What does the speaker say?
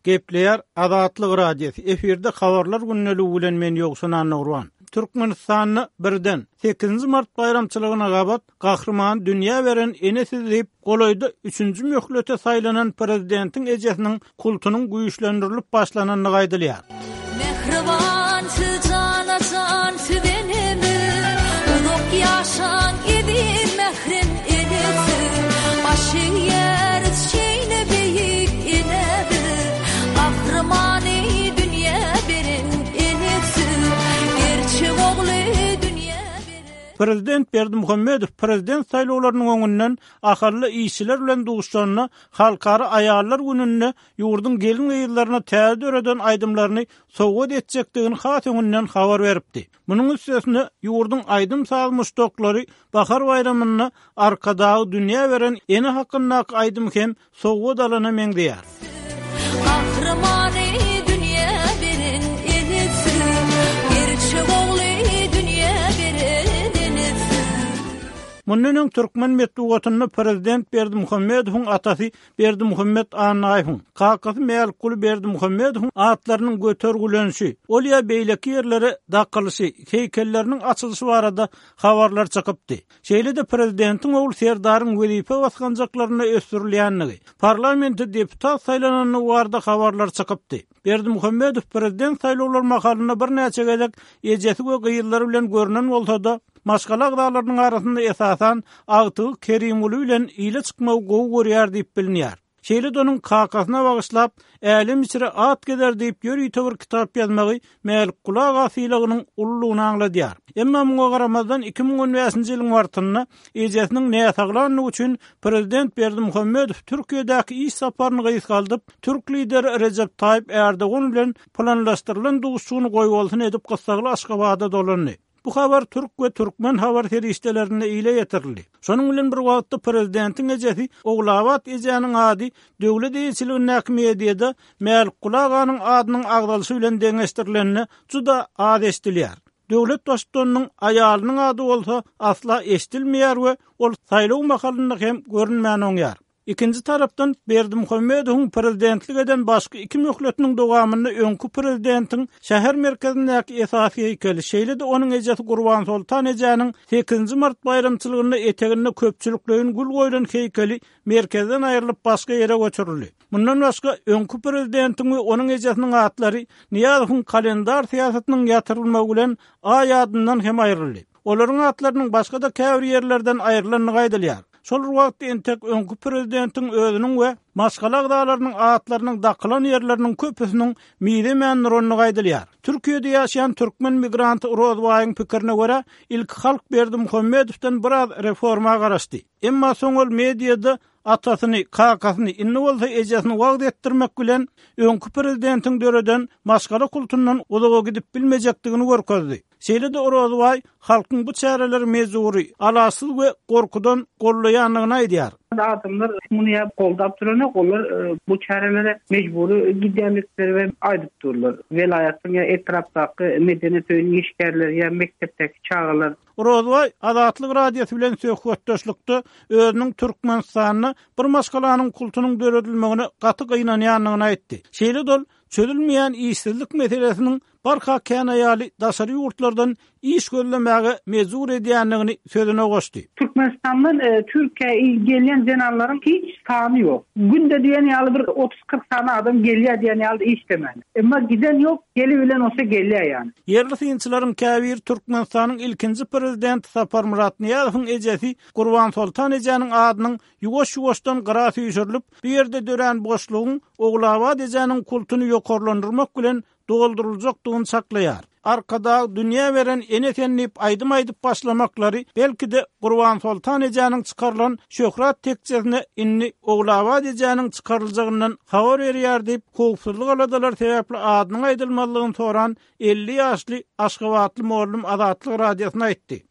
Gepleýär Azatlyk Radiosy, efirde Habarlar gündeligi bilen men Ýowşan Annagurban. Türkmenistanda birden, sekizinji mart baýramçylygyna gabat Gahryman dünýä beren ene siz diýip, golaýda üçünji möhlete saýlanan prezidentiň ejesiniň kultunyň güýçlendirilip başlanandygy aýdylýar. Mähriban siz jana jan siz enemiz Uzak ýaşaň eziz mährem ene siz Baş egýäris şeýle beýik enä biz Gahrymany dünýä beren ene siz Gerçek ogly dünýä beren Prezident Berdimuhamedow prezident saýlawlarynyň öňünden ahally işçiler bilen duşuşanda Halkara aýallar gününde ýurduň gelin-gyzlaryna täze döreden aýdymlaryny sowgat etjekdigini has öňünden habar beripdi. Munuň üstesine, ýurduň aýdym-saz muşdaklary Bahar baýramynda Arkadagy dünýä beren ene hakyndaky aýdymy hem sowgat alana meňzeýär. Gahrymany dünýä beren enesi, Gerçek ogly dünýä beren enesi. Mundan öň türkmen metbugatynda prezident Berdimuhamedowyň atasy Berdimuhamet Annaýewiň, kakasy Mälikguly Berdimuhamedowyň atlarynyň götergilenişi, ol ýa beýleki ýerlere dakylyşy, heýkelleriniň açylyşy barada habarlar çykypdy. Şeýle-de prezidentiň ogly Serdaryň wezipe basgançaklarynda ösdürilýändigi, parlamente deputat saýlanandygy barada habarlar çykypdy. Berdimuhamedow prezident saýlawlary mahalynda birnäçe gezek ejesi we gyzlary bilen görnen bolsa-da, maşgala agzalarynyň arasynda esasan agtygy Kerimguly bilen ile çykmagy gowy görýär diýip bilinýär. Şeýle-de onuň kakasyna bagyşlap, Älem içre at gezer diýip ýörite bir kitap ýazmagy Mälikguly aga sylagynyň ululygyny aňladýar. Emma muňa garamazdan 2015-nji ýylyň martynda ejesiniň näsaglandygy üçin prezident Berdimuhamedow Türkiýedäki iş saparyny gysgaldyp, türk lideri Rejep Taýyp Ärdogan bilen planlaşdyrylan duşuşygyny goýbolsun edip gyssagly Aşgabada dolandy. Bu habar türk we türkmen habar serişdelerinde ile ýetirildi. Şonuň bilen bir wagtda prezidentiň ejesi Ogulabat ejäniň ady döwlet eýeçiligindäki mediada Mälikguly aganyň adynyň agzalyşy bilen deňeşdirilende juda az eşidilýär. Döwlet baştutanynyň aýalynyň ady bolsa asla eşidilmeýär we ol saýlaw mahalynda hem görünmän oňýar. Ikinji tarapdan, Berdimuhamedowyň prezidentlik eden başky iki möhletiniň dowamynda öňki prezidentiň şäher merkezindäki esasy heýkeli, şeýle-de onuň ejesi Gurbansoltan ejäniň sekizinji mart baýramçylygynda eteginde köpçülikleýin gül goýlan heýkeli merkezden aýrylyp başga ýere göçürildi. Mundan başga, öňki prezidentiň we onuň ejesiniň atlary Nyýazowyň kalendar syýasatynyň ýatyrylmagy bilen aý adyndan hem aýryldy. Olaryň atlarynyň başga-da käbir ýerlerden aýrylandygy aýdylýar. Şol bir wagtda entek öňki prezidentiň özüniň we maşgala agzalarynyň atlarynyň dakylan ýerleriniň köpüsiniň mizemän durandygy aýdylýar. Türkiýede ýaşaýan türkmen migranty Rozbaýyň pikirine görä, ilki halk Berdimuhamedowdan biraz reforma garaşdy. Emma soň ol mediada atasyny, kakasyny, indi bolsa ejesini wagyz etdirmek bilen, öňki prezidentiň döreden maşgala kultundan uzaga gidip bilmejekdigini görkezdi. Şeýle-de Orazbaý halkyň bu çäreleri mejbury, alaçsyz we gorkudan gollaýandygyny aýdýar. Adamlar muny ýa goldap duranok, olar bu çärelere mejbury gidýändikleri we aýdyp durlar. Welaýatyň ýa etrapdaky medeniýet öýüniň işgärleri ýa mekdepdäki çagalar. Orazbaý Azatlyk Radiosy bilen söhbetdeşlikde özüniň Türkmenistanda bir maşgalanyň kultunyň döredilmegine gaty gynanýandygyny aýtdy. Şeýle-de ol çözülmeýän işsizlik meselesiniň barha kän aýaly daşary ýurtlardan iş gözlemäge mejbur edýändigini sözüne goşdy. Türkmenistandan Türkiýä gelýän zenanlaryň hiç sany ýok. Günde diýen ýaly bir otuz-kyrk sany adam gelýär diýen ýaly işlemäne. Emma giden ýok, gelibilen bolsa gelýär ýany. Ýerli synçylaryň käbiri Türkmenistanyň ilkinji prezidenti Saparmyrat Nyýazowyň ejesi Gurbansoltan ejäniň adynyň ýuwaş-ýuwaşdan gyra süýşürilip, bu ýerde dörän boşlugyň Ogulabat ejäniň kultuny ýokarlandyrmak bilen dolduryljakdygyny çaklaýar. Arkadag dünýä beren ene sen diýip aýdym aýdyp başlamaklary, belki-de, Gurbansoltan ejäniň çykarylan şöhrat tekjesine indi Ogulabat ejäniň çykaryljagyndan habar berýär diýip, howpsuzlyk aladalary sebäpli adynyň aýdylmazlygyny soran 50 ýaşly aşgabatly mugallym Azatlyk Radiosyna aýtdy.